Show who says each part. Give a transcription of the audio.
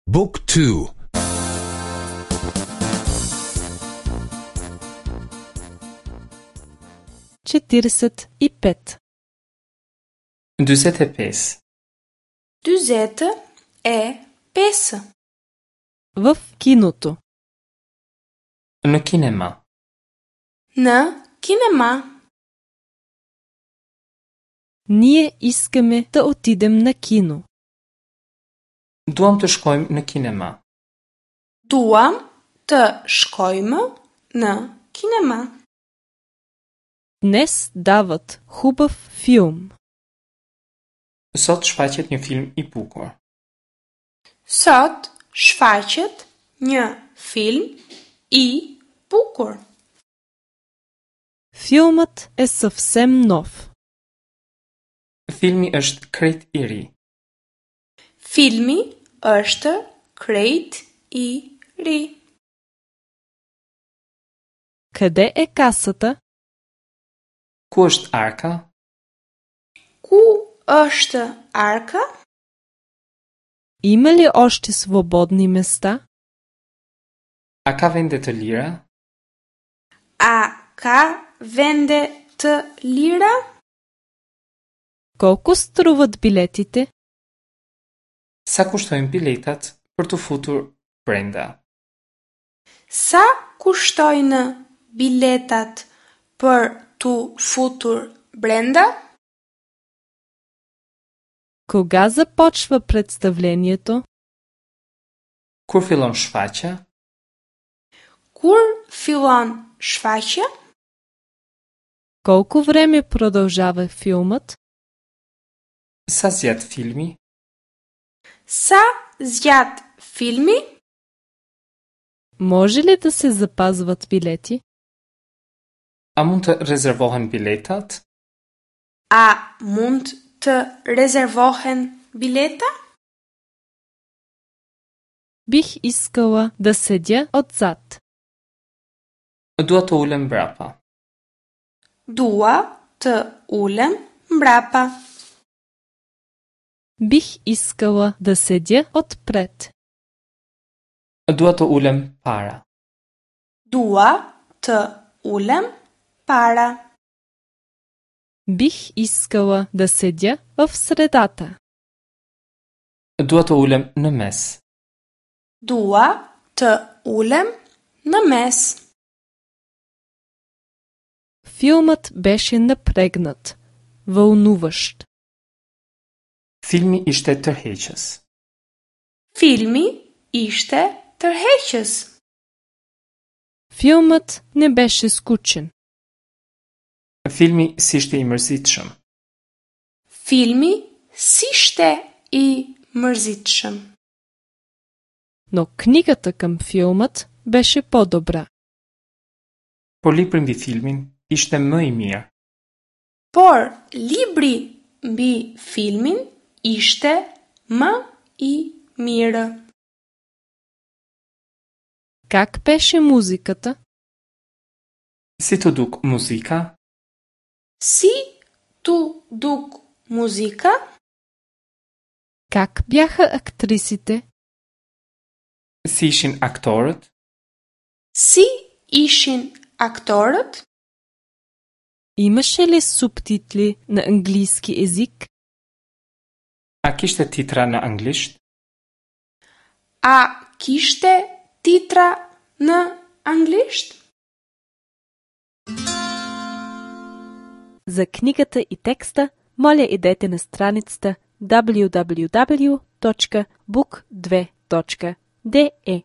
Speaker 1: Book 2
Speaker 2: 45.
Speaker 3: 45.
Speaker 4: 45.
Speaker 2: В киното.
Speaker 3: Në kinema.
Speaker 4: Në kinema.
Speaker 2: Ние искаме да отидем на кино.
Speaker 3: Duam të shkojmë në kinema.
Speaker 4: Duam të shkojmë në kinema.
Speaker 2: Днес дават хубав филм.
Speaker 3: Sot shfaqet një film i bukur.
Speaker 4: Sot shfaqet një film i bukur.
Speaker 2: Филмът е съвсем нов.
Speaker 3: Filmi është krejt i ri.
Speaker 4: Filmi është krejt i ri.
Speaker 2: Къде е касата?
Speaker 3: Ku është arka?
Speaker 4: Ku është arka?
Speaker 2: Има ли още свободни места?
Speaker 3: A ka vende të lira?
Speaker 4: A ka vende të lira?
Speaker 2: Колко струват билетите?
Speaker 3: Sa kushtojnë biletat për t'u futur brenda?
Speaker 4: Sa kushtojnë biletat për t'u futur brenda?
Speaker 2: Кога започва представлението?
Speaker 3: Kur fillon shfaqja?
Speaker 4: Kur fillon shfaqja?
Speaker 2: Колко време продължава филмът?
Speaker 3: Sa zgjat filmi?
Speaker 4: Sa zgjat filmi?
Speaker 2: Може ли да се запазват билети?
Speaker 3: A mund të rezervohen biletat?
Speaker 4: A mund të rezervohen bileta?
Speaker 2: Бих искала да седя отзад.
Speaker 3: Dua të ulem mbrapa.
Speaker 4: Dua të ulem mbrapa.
Speaker 2: Бих искала да седя отпред.
Speaker 3: Dua të ulem para.
Speaker 4: Dua të ulem para.
Speaker 2: Бих искала да седя в средата.
Speaker 3: Dua të ulem në mes.
Speaker 4: Dua të ulem në mes.
Speaker 2: Филмът беше напрегнат, вълнуващ.
Speaker 3: Filmi ishte tërheqës.
Speaker 4: Filmi ishte tërheqës.
Speaker 2: Филмът не беше скучен.
Speaker 3: Filmi s'ishte i mërzitshëm.
Speaker 4: Filmi s'ishte i mërzitshëm.
Speaker 2: Но книгата към филмът беше по-добра.
Speaker 3: Por libri mbi filmin ishte më i mirë.
Speaker 4: Por libri mbi filmin ishte më i mirë.
Speaker 2: Как беше музиката?
Speaker 3: Si t'u duk muzika?
Speaker 4: Si t'u duk muzika?
Speaker 2: Как бяха актрисите?
Speaker 3: Si ishin aktorët?
Speaker 4: Si ishin aktorët?
Speaker 2: Имаше ли субтитли на английски език?
Speaker 3: A kishte titra në anglisht?
Speaker 4: A kishte titra në anglisht?
Speaker 2: За книгата и текста, моля идете на страницата www.book2.de.